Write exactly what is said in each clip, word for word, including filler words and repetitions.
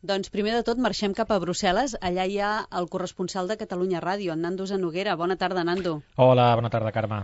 Doncs primer de tot marxem cap a Brussel·les. Allà hi ha el corresponsal de Catalunya Ràdio, en Nando Zanoguera. Bona tarda, Nando. Hola, bona tarda, Carme.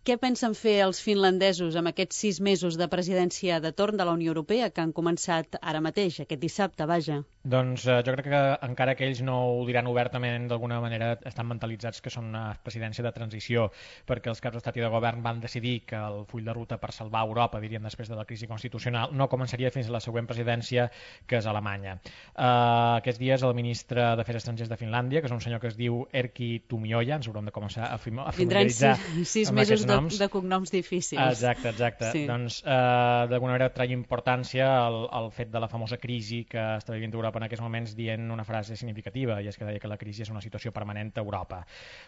Què pensen fer els finlandesos amb aquests sis mesos de presidència de torn de la Unió Europea que han començat ara mateix, aquest dissabte, vaja? Doncs eh, jo crec que encara que ells no ho diran obertament, d'alguna manera estan mentalitzats que són una presidència de transició, perquè els caps d'estat i de govern van decidir que el full de ruta per salvar Europa, diríem després de la crisi constitucional, no començaria fins a la següent presidència, que és Alemanya. Uh, aquests dies el ministre d'Afers Estrangers de Finlàndia, que és un senyor que es diu Erkki Tuomioja, ens haurem de començar a familiaritzar sis, sis amb mesos aquests de, de cognoms difícils. Exacte, exacte. Sí. Doncs eh, d'alguna manera treu importància al, al fet de la famosa crisi que està vivint Europa en aquests moments, dient una frase significativa, i és que deia que la crisi és una situació permanent a Europa.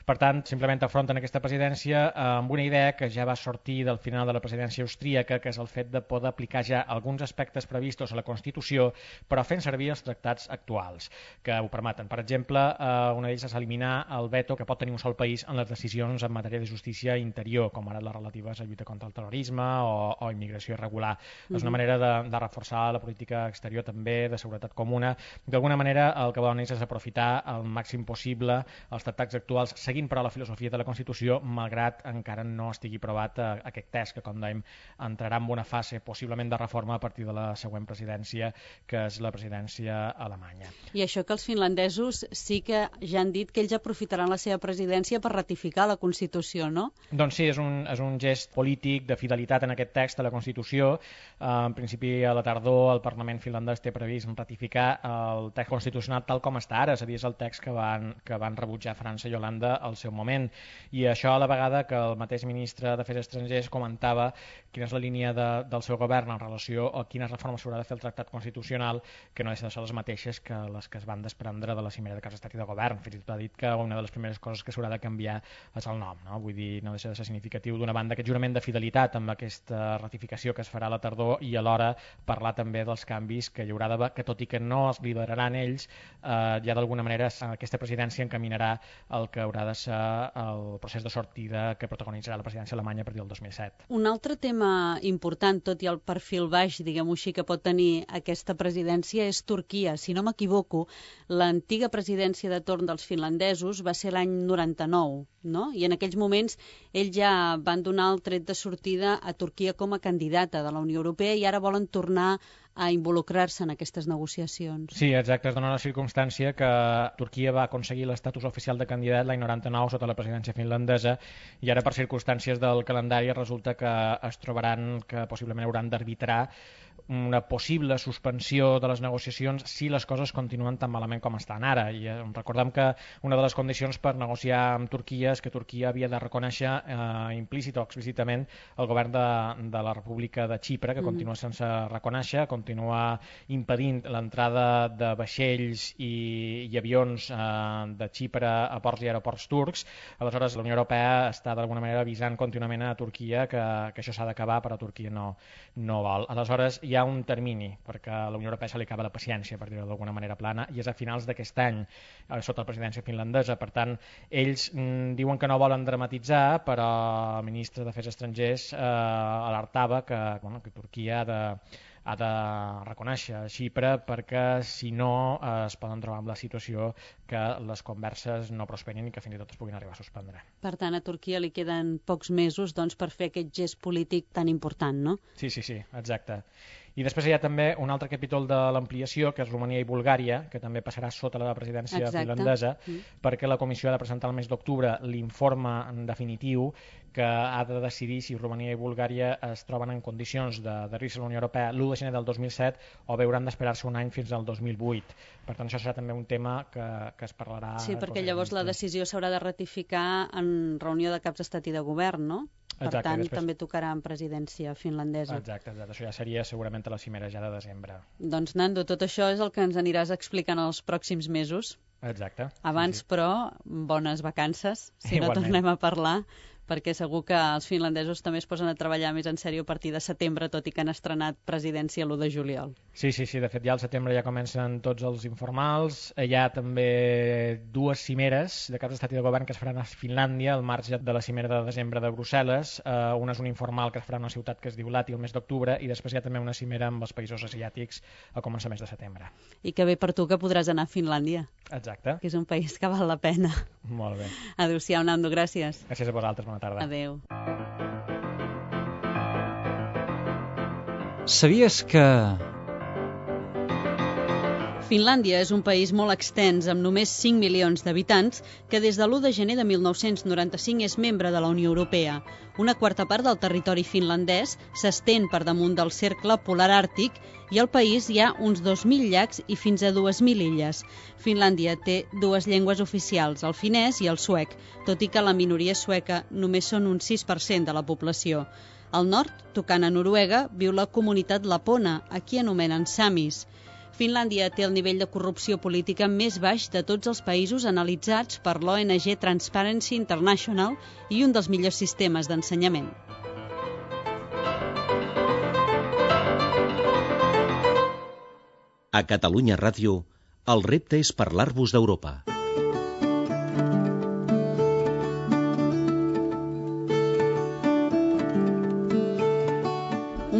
Per tant, simplement afronten aquesta presidència eh, amb una idea que ja va sortir del final de la presidència austríaca, que és el fet de poder aplicar ja alguns aspectes previstos a la Constitució, però fent servir els tractats actuals, que ho permeten. Per exemple, eh, una d'ells és eliminar el veto que pot tenir un sol país en les decisions en matèria de justícia interior, com ara les relatives a lluita contra el terrorisme o, o immigració irregular. Mm-hmm. És una manera de, de reforçar la política exterior també, de seguretat comuna. D'alguna manera el que volen és aprofitar al màxim possible els tractats actuals, seguint però la filosofia de la Constitució, malgrat encara no estigui aprovat eh, aquest text, que com dèiem entrarà en una fase possiblement de reforma a partir de la següent presidència, que és la presidència alemanya. I això que els finlandesos sí que ja han dit que ells aprofitaran la seva presidència per ratificar la Constitució, no? Doncs sí, és un, és un gest polític de fidelitat en aquest text de la Constitució. Uh, en principi, a la tardor, el Parlament finlandès té previst ratificar el text constitucional tal com està ara, és a dir, és el text que van, que van rebutjar França i Holanda al seu moment. I això a la vegada que el mateix ministre d'Afers Estrangers comentava quina és la línia de, del seu govern en relació a quines reformes s'haurà de fer el tractat constitucional, que no deixa de ser les mateixes que les que es van desprendre de la cimera de caps d'estat i de govern. Fins i tot ha dit que una de les primeres coses que s'haurà de canviar és el nom, no? Vull dir, no deixa de ser significatiu d'una banda aquest jurament de fidelitat amb aquesta ratificació que es farà a la tardor, i alhora parlar també dels canvis que hi haurà d'haver, que tot i que no els lideraran ells, eh, ja d'alguna manera aquesta presidència encaminarà el que haurà de ser el procés de sortida que protagonitzarà la presidència alemanya a partir del dos mil set. Un altre tema important, tot i el perfil baix, diguem-ho així, que pot tenir aquesta presidència és Turquia. Si no m'equivoco, l'antiga presidència de torn dels finlandesos va ser l'any noranta-nou, no? I en aquells moments ells ja van donar el tret de sortida a Turquia com a candidata de la Unió Europea i ara volen tornar a involucrar-se en aquestes negociacions. Sí, exacte. Es dona la circumstància que Turquia va aconseguir l'estatus oficial de candidat l'any noranta-nou sota la presidència finlandesa, i ara per circumstàncies del calendari resulta que es trobaran que possiblement hauran d'arbitrar una possible suspensió de les negociacions si les coses continuen tan malament com estan ara. I eh, recordem que una de les condicions per negociar amb Turquia és que Turquia havia de reconèixer eh, implícit o explícitament el govern de, de la República de Xipre, que mm. continua sense reconèixer, continua impedint l'entrada de vaixells i, i avions eh, de Xipre a ports i aeroports turcs. Aleshores, la Unió Europea està d'alguna manera avisant contínuament a Turquia que, que això s'ha d'acabar, però Turquia no, no vol. Aleshores, hi ha un termini, perquè a la Unió Europea se li acaba la paciència, per dir-ho d'alguna manera plana, i és a finals d'aquest any, eh, sota la presidència finlandesa. Per tant, ells mm, diuen que no volen dramatitzar, però el ministre d'Afers Estrangers eh, alertava que, bueno, que Turquia ha de, ha de reconèixer Xipre, perquè si no eh, es poden trobar amb la situació que les converses no prosperin i que fins i tot es puguin arribar a suspendre. Per tant, a Turquia li queden pocs mesos doncs, per fer aquest gest polític tan important, no? Sí, sí, sí, exacte. I després hi ha també un altre capítol de l'ampliació, que és Romania i Bulgària, que també passarà sota la presidència Exacte. finlandesa, mm. perquè la Comissió ha de presentar el mes d'octubre l'informe definitiu que ha de decidir si Romania i Bulgària es troben en condicions d'adherir-se a la Unió Europea l'u de gener del dos mil set o bé hauran d'esperar-se un any fins al dos mil vuit. Per tant, això serà també un tema que, que es parlarà... Sí, perquè llavors la decisió s'haurà de ratificar en reunió de caps d'estat i de govern, no? Per Exacte, tant, després... també tocarà en presidència finlandesa. Exacte, exacte, això ja seria segurament a la cimera ja de desembre. Doncs, Nando, tot això és el que ens aniràs explicant els pròxims mesos. Exacte. Abans, sí, sí. però, bones vacances, si Igualment. no tornem a parlar, perquè segur que els finlandesos també es posen a treballar més en sèrio a partir de setembre, tot i que han estrenat presidència l'u de juliol. Sí, sí, sí, de fet ja al setembre ja comencen tots els informals. Hi ha també dues cimeres de caps d'estat i de govern que es faran a Finlàndia al marge de la cimera de desembre de Brussel·les. Uh, una és un informal que es farà a una ciutat que es diu Lahti el mes d'octubre i després hi ha també una cimera amb els països asiàtics a començaments de setembre. I que bé per tu que podràs anar a Finlàndia. Exacte. Que és un país que val la pena. Molt bé. Adéu-siau, Nando, gràcies. Gràcies a vosaltres, bona tarda. Adéu. Sabies que... Finlàndia és un país molt extens, amb només cinc milions d'habitants, que des de l'u de gener de mil nou-cents noranta-cinc és membre de la Unió Europea. Una quarta part del territori finlandès s'estén per damunt del cercle polar àrtic i al país hi ha uns dos mil llacs i fins a dues mil illes. Finlàndia té dues llengües oficials, el finès i el suec, tot i que la minoria sueca només són un sis per cent de la població. Al nord, tocant a Noruega, viu la comunitat lapona, a qui anomenen samis. Finlàndia té el nivell de corrupció política més baix de tots els països analitzats per l'O N G Transparency International i un dels millors sistemes d'ensenyament. A Catalunya Ràdio, el repte és parlar-vos d'Europa.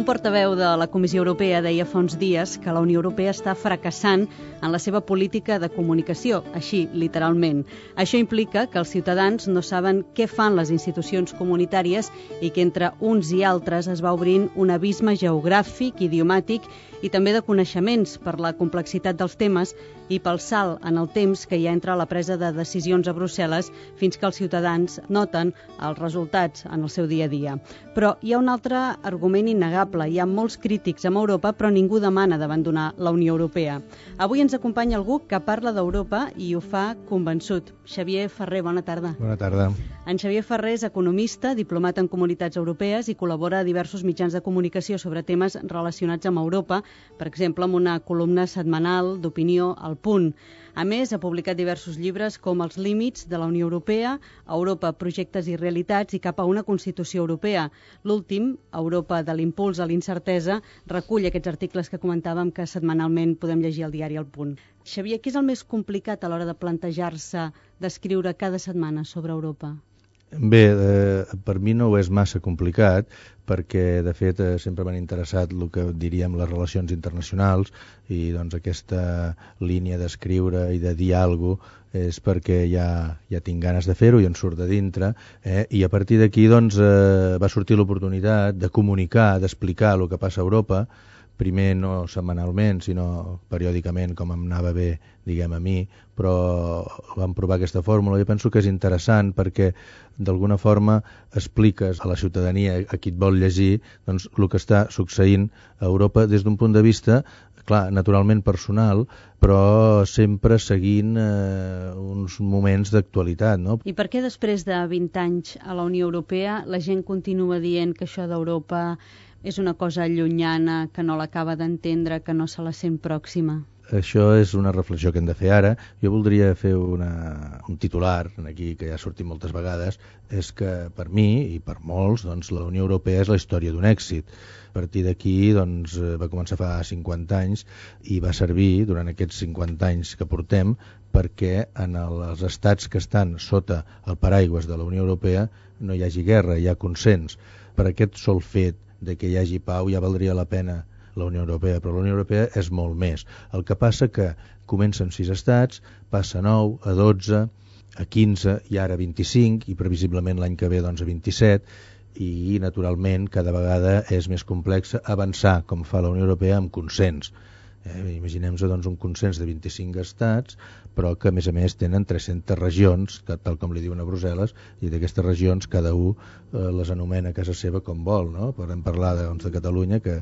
Un portaveu de la Comissió Europea deia fa uns dies que la Unió Europea està fracassant en la seva política de comunicació, així, literalment. Això implica que els ciutadans no saben què fan les institucions comunitàries i que entre uns i altres es va obrint un abisme geogràfic, idiomàtic i també de coneixements per la complexitat dels temes i pel salt en el temps que hi ha entre la presa de decisions a Brussel·les fins que els ciutadans noten els resultats en el seu dia a dia. Però hi ha un altre argument innegable. Hi ha molts crítics amb Europa, però ningú demana d'abandonar la Unió Europea. Avui ens acompanya algú que parla d'Europa i ho fa convençut. Xavier Ferrer, bona tarda. Bona tarda. En Xavier Ferrer és economista, diplomat en comunitats europees i col·labora a diversos mitjans de comunicació sobre temes relacionats amb Europa, per exemple, amb una columna setmanal d'opinió al Punt. A més, ha publicat diversos llibres com Els límits de la Unió Europea, Europa, projectes i realitats i cap a una Constitució Europea. L'últim, Europa de l'impuls a l'incertesa, recull aquests articles que comentàvem que setmanalment podem llegir al diari El Punt. Xavier, què és el més complicat a l'hora de plantejar-se d'escriure cada setmana sobre Europa? Bé, eh, per mi no ho és massa complicat perquè, de fet, eh, sempre m'han interessat el que diríem les relacions internacionals i doncs aquesta línia d'escriure i de dir alguna cosa és perquè ja, ja tinc ganes de fer-ho i en surt de dintre, eh? I a partir d'aquí doncs, eh, va sortir l'oportunitat de comunicar, d'explicar el que passa a Europa, primer no setmanalment, sinó periòdicament, com em anava bé, diguem, a mi, però vam provar aquesta fórmula i penso que és interessant perquè d'alguna forma expliques a la ciutadania, a qui et vol llegir, doncs, el que està succeint a Europa des d'un punt de vista, clar, naturalment personal, però sempre seguint eh, uns moments d'actualitat, no? I per què després de vint anys a la Unió Europea la gent continua dient que això d'Europa és una cosa llunyana, que no l'acaba d'entendre, que no se la sent pròxima? Això és una reflexió que hem de fer ara. Jo voldria fer una, un titular, aquí que ja ha sortit moltes vegades, és que per mi i per molts doncs, la Unió Europea és la història d'un èxit. A partir d'aquí doncs, va començar fa cinquanta anys i va servir durant aquests cinquanta anys que portem perquè en els estats que estan sota el paraigües de la Unió Europea no hi hagi guerra, hi ha consens. Per aquest sol fet de que hi hagi pau ja valdria la pena la Unió Europea, però la Unió Europea és molt més. El que passa que comencen sis estats, passa a nou, a dotze, a quinze i ara a vint-i-cinc i previsiblement l'any que ve doncs, a vint-i-set i naturalment cada vegada és més complex avançar com fa la Unió Europea amb consens. Eh, Imaginem-nos doncs, un consens de vint-i-cinc estats, però que a més a més tenen tres-centes regions, que, tal com li diuen a Brussel·les, i d'aquestes regions cada un eh, les anomena a casa seva com vol, no? Podem parlar doncs, de Catalunya, que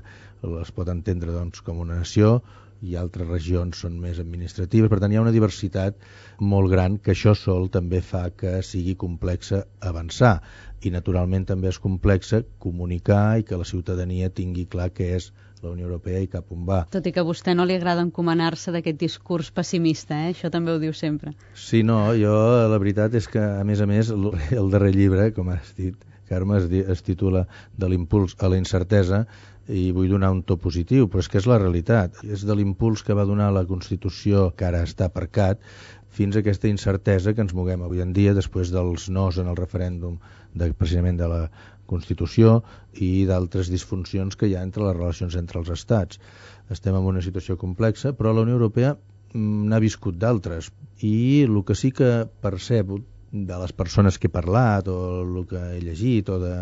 es pot entendre doncs, com una nació, i altres regions són més administratives. Per tant, hi ha una diversitat molt gran que això sol també fa que sigui complexa avançar, i naturalment també és complexa comunicar i que la ciutadania tingui clar què és la Unió Europea i cap on va. Tot i que a vostè no li agrada encomanar-se d'aquest discurs pessimista, eh? Això també ho diu sempre. Sí, no, jo la veritat és que, a més a més, el, el darrer llibre, com has dit, Carme, es, di, es titula De l'impuls a la incertesa, i vull donar un to positiu, però és que és la realitat. És de l'impuls que va donar la Constitució, que ara està aparcat, fins a aquesta incertesa que ens moguem avui en dia, després dels nos en el referèndum de, precisament de la Constitució i d'altres disfuncions que hi ha entre les relacions entre els estats. Estem en una situació complexa, però la Unió Europea n'ha viscut d'altres, i el que sí que percebo de les persones que he parlat, o el que he llegit, o de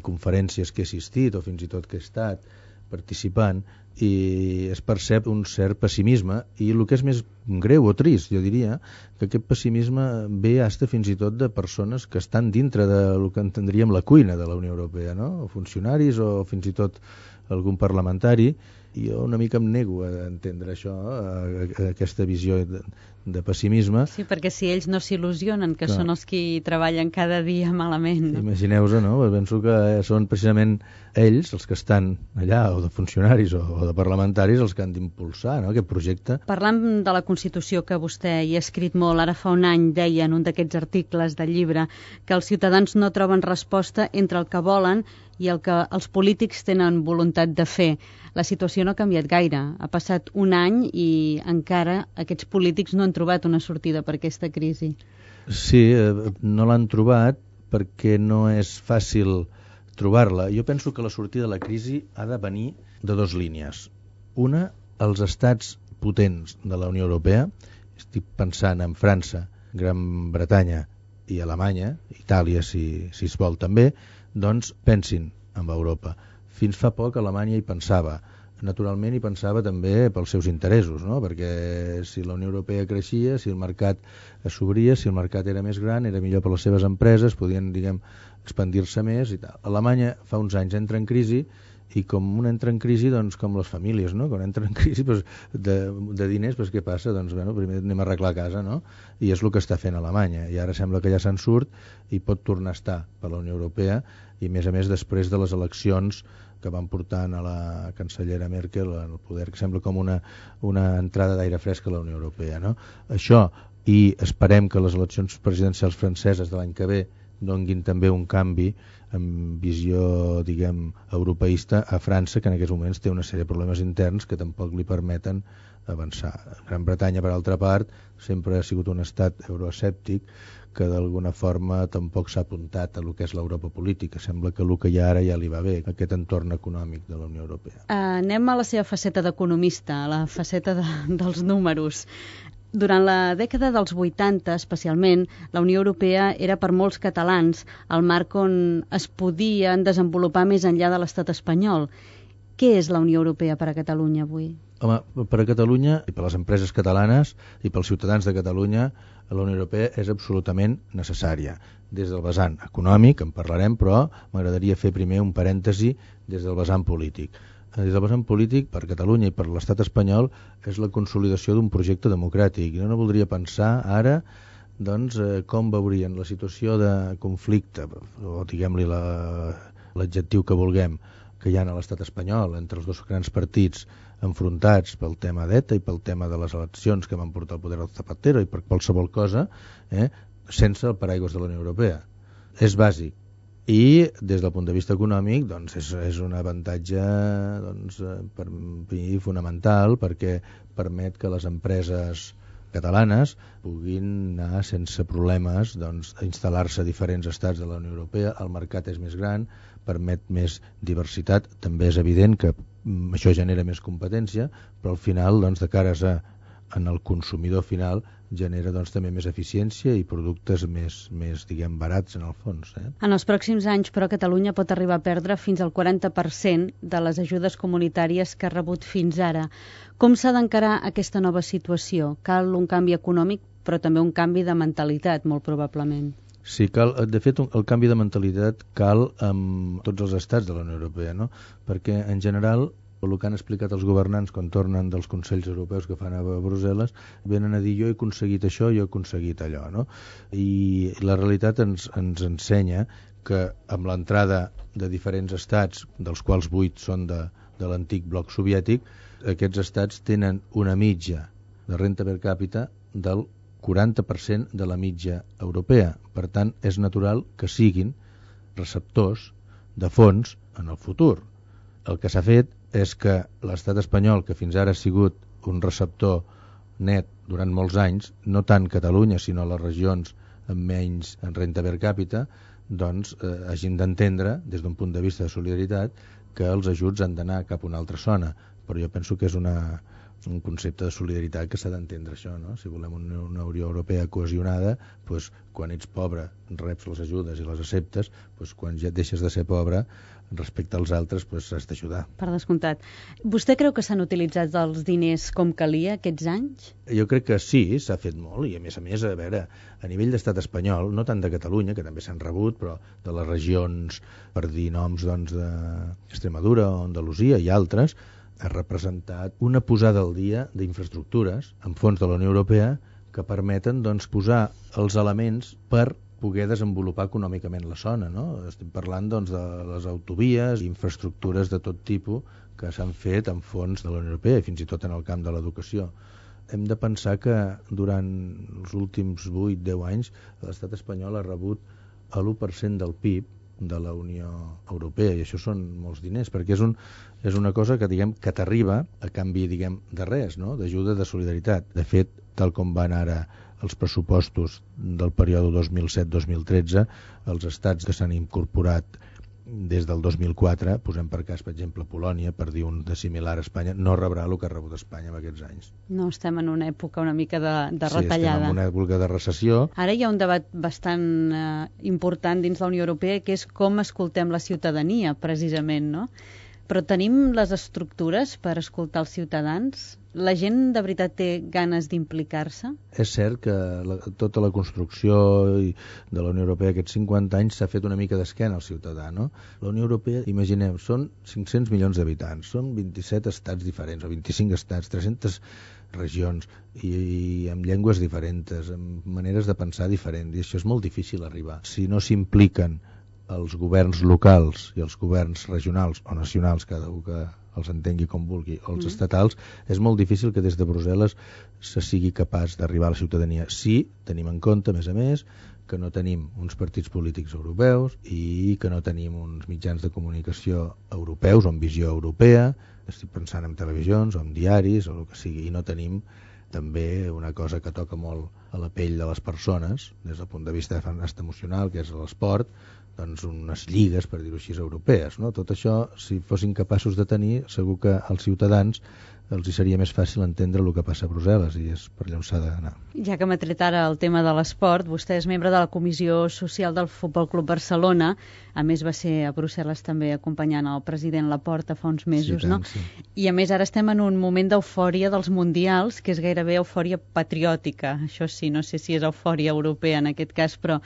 conferències que he assistit, o fins i tot que he estat participant, i es percep un cert pessimisme, i el que és més greu o trist, jo diria, que aquest pessimisme ve hasta fins i tot de persones que estan dintre del que entendríem la cuina de la Unió Europea, no? O funcionaris, o fins i tot algun parlamentari, i jo una mica em nego a entendre això, a, a aquesta visió de, de pessimisme. Sí, perquè si ells no s'il·lusionen, que Clar. són els qui treballen cada dia malament. No? Imagineu-vos, no? Penso que són precisament ells, els que estan allà, o de funcionaris o, o de parlamentaris, els que han d'impulsar, no?, aquest projecte. Parlant de la Constitució, que vostè hi ha escrit molt, ara fa un any deia en un d'aquests articles del llibre que els ciutadans no troben resposta entre el que volen i el que els polítics tenen voluntat de fer. La situació no ha canviat gaire. Ha passat un any i encara aquests polítics no han trobat una sortida per aquesta crisi. Sí, no l'han trobat perquè no és fàcil trobar-la. Jo penso que la sortida de la crisi ha de venir de dues línies. Una, els estats potents de la Unió Europea, estic pensant en França, Gran Bretanya i Alemanya, Itàlia si, si es vol també, doncs pensin en Europa. Fins fa poc Alemanya hi pensava. Naturalment hi pensava també pels seus interessos, no? Perquè si la Unió Europea creixia, si el mercat s'obria, si el mercat era més gran, era millor per les seves empreses, podien, diguem, expandir-se més i tal. Alemanya fa uns anys entra en crisi, i com un entra en crisi, doncs com les famílies, no? Quan entra en crisi doncs, de, de diners, doncs què passa? Doncs bueno, primer anem a arreglar casa, no? I és el que està fent Alemanya, i ara sembla que ja se'n surt i pot tornar a estar per la Unió Europea, i a més a més després de les eleccions que van portant a la cancellera Merkel al poder, que sembla com una, una entrada d'aire fresc a la Unió Europea, no? Això, i esperem que les eleccions presidencials franceses de l'any que ve donguin també un canvi amb visió, diguem, europeista a França, que en aquests moments té una sèrie de problemes interns que tampoc li permeten avançar. Gran Bretanya, per altra part, sempre ha sigut un estat euroescèptic que d'alguna forma tampoc s'ha apuntat a lo que és l'Europa política. Sembla que el que hi ha ara ja li va bé, aquest entorn econòmic de la Unió Europea. Uh, anem a la seva faceta d'economista, a la faceta de, dels números. Durant la dècada dels vuitanta, especialment, la Unió Europea era per molts catalans el marc on es podien desenvolupar més enllà de l'estat espanyol. Què és la Unió Europea per a Catalunya avui? Home, per a Catalunya i per a les empreses catalanes i pels ciutadans de Catalunya, la Unió Europea és absolutament necessària. Des del vessant econòmic, en parlarem, però m'agradaria fer primer un parèntesi des del vessant polític. Des del vessant polític, per Catalunya i per l'estat espanyol, és la consolidació d'un projecte democràtic. Jo no voldria pensar ara doncs, eh, com veurien la situació de conflicte, o diguem-li la, l'adjectiu que vulguem, que hi ha a l'estat espanyol entre els dos grans partits enfrontats pel tema d'ETA i pel tema de les eleccions que van portar al poder del Zapatero i per qualsevol cosa, eh, sense el paraigües de la Unió Europea. És bàsic. I des del punt de vista econòmic doncs és, és un avantatge doncs, per mi fonamental, perquè permet que les empreses catalanes puguin anar sense problemes doncs, a instal·lar-se a diferents estats de la Unió Europea. El mercat és més gran, permet més diversitat. També és evident que això genera més competència, però al final, doncs, de cares a, en el consumidor final, genera doncs, també més eficiència i productes més, més diguem, barats en el fons. Eh? En els pròxims anys, però, Catalunya pot arribar a perdre fins al quaranta per cent de les ajudes comunitàries que ha rebut fins ara. Com s'ha d'encarar aquesta nova situació? Cal un canvi econòmic, però també un canvi de mentalitat, molt probablement. Sí, cal, de fet, el canvi de mentalitat cal amb tots els estats de la Unió Europea, no? Perquè, en general, El que han explicat els governants quan tornen dels Consells Europeus que fan a Brussel·les, venen a dir jo he aconseguit això, jo he aconseguit allò, no? I la realitat ens, ens ensenya que amb l'entrada de diferents estats, dels quals vuit són de, de l'antic bloc soviètic, aquests estats tenen una mitja de renta per càpita del quaranta per cent de la mitja europea. Per tant, és natural que siguin receptors de fons en el futur. El que s'ha fet és que l'estat espanyol, que fins ara ha sigut un receptor net durant molts anys, no tant Catalunya, sinó les regions amb menys en renta per càpita, doncs eh, hagin d'entendre, des d'un punt de vista de solidaritat, que els ajuts han d'anar cap a una altra zona. Però jo penso que és una, un concepte de solidaritat que s'ha d'entendre això, no? Si volem una, una Unió Europea cohesionada, doncs, quan ets pobre reps les ajudes i les acceptes, doncs, quan ja deixes de ser pobre respecte als altres, doncs, has d'ajudar. Per descomptat. Vostè creu que s'han utilitzat els diners com calia aquests anys? Jo crec que sí, s'ha fet molt, i a més a més, a veure, a nivell d'estat espanyol, no tant de Catalunya, que també s'han rebut, però de les regions, per dir noms, doncs, d'Extremadura o Andalusia i altres, ha representat una posada al dia d'infraestructures amb fons de la Unió Europea que permeten, doncs, posar els elements per poder desenvolupar econòmicament la zona, no? Estem parlant, doncs, de les autovies, infraestructures de tot tipus que s'han fet amb fons de la Unió Europea i fins i tot en el camp de l'educació. Hem de pensar que durant els últims vuit a deu anys l'estat espanyol ha rebut l'u per cent del P I B de la Unió Europea, i això són molts diners, perquè és, un, és una cosa que, diguem, que t'arriba a canvi, diguem, de res, no? D'ajuda, de solidaritat. De fet, tal com van ara els pressupostos del període dos mil set dos mil tretze, els estats que s'han incorporat des del dos mil quatre, posem per cas, per exemple, Polònia, per dir un de similar a Espanya, no rebrà el que ha rebut Espanya en aquests anys. No, estem en una època una mica de, de sí, retallada. Sí, estem en una època de recessió. Ara hi ha un debat bastant eh, important dins la Unió Europea, que és com escoltem la ciutadania, precisament, no? Però tenim les estructures per escoltar els ciutadans? La gent de veritat té ganes d'implicar-se? És cert que la, tota la construcció de la Unió Europea aquests cinquanta anys s'ha fet una mica d'esquena al ciutadà, no? La Unió Europea, imaginem, són cinc-cents milions d'habitants, són vint-i-set estats diferents, o vint-i-cinc estats, tres-centes regions, i, i amb llengües diferents, amb maneres de pensar diferents, i això és molt difícil arribar. Si no s'impliquen els governs locals i els governs regionals o nacionals, cada un que els entengui com vulgui, o els mm. estatals, és molt difícil que des de Brussel·les se sigui capaç d'arribar a la ciutadania. Sí, tenim en compte, a més a més, que no tenim uns partits polítics europeus i que no tenim uns mitjans de comunicació europeus o amb visió europea, estic pensant en televisions o en diaris o el que sigui, i no tenim també una cosa que toca molt a la pell de les persones, des del punt de vista emocional, que és l'esport, doncs unes lligues, per dir-ho així, europees, no? Tot això, si fossin capaços de tenir, segur que als ciutadans els hi seria més fàcil entendre el que passa a Brussel·les, i és per allà on s'ha d'anar. Ja que m'ha tret ara el tema de l'esport, vostè és membre de la Comissió Social del Futbol Club Barcelona, a més va ser a Brussel·les també acompanyant el president Laporta fa uns mesos, sí, tant, no? Sí. I a més ara estem en un moment d'eufòria dels mundials, que és gairebé eufòria patriòtica, això sí, no sé si és eufòria europea en aquest cas, però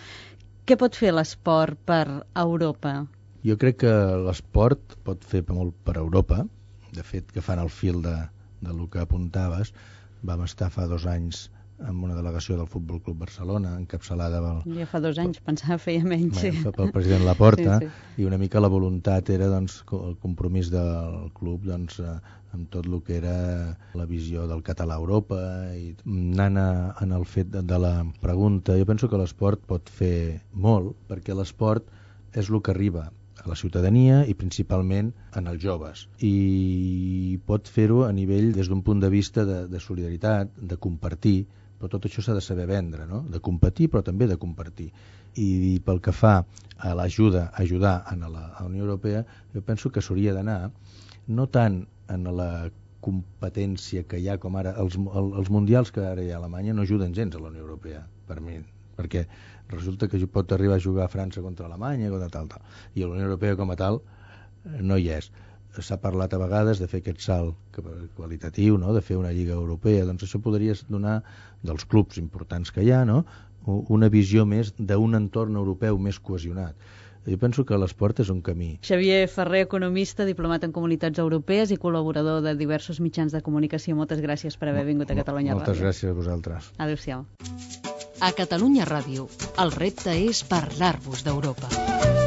què pot fer l'esport per Europa? Jo crec que l'esport pot fer molt per Europa. De fet, que fan el fil de, del que apuntaves, vam estar fa dos anys amb una delegació del Futbol Club Barcelona, encapçalada pel... Ja fa dos anys, pensava feia menys. Sí. Pel president Laporta, sí, sí. I una mica la voluntat era, doncs, el compromís del club, doncs, amb tot el que era la visió del català a Europa, i anant a, en el fet de, de la pregunta, jo penso que l'esport pot fer molt, perquè l'esport és el que arriba a la ciutadania i principalment en els joves, i pot fer-ho a nivell des d'un punt de vista de, de solidaritat, de compartir, però tot això s'ha de saber vendre, no? De competir però també de compartir. I pel que fa a l'ajuda, a ajudar a la, a la Unió Europea, jo penso que s'hauria d'anar no tant en la competència que hi ha com ara, els, els mundials que ara hi ha a Alemanya no ajuden gens a la Unió Europea, per mi, perquè resulta que pot arribar a jugar a França contra Alemanya, contra tal, tal. I la Unió Europea com a tal no hi és. S'ha parlat a vegades de fer aquest salt qualitatiu, no? De fer una lliga europea, doncs això podria donar, dels clubs importants que hi ha, no? Una visió més d'un entorn europeu més cohesionat. Jo penso que l'esport és un camí. Xavier Ferrer, economista, diplomat en comunitats europees i col·laborador de diversos mitjans de comunicació. Moltes gràcies per haver vingut a Catalunya Ràdio. Moltes gràcies a vosaltres. Adéu-siau. A Catalunya Ràdio, el repte és parlar-vos d'Europa.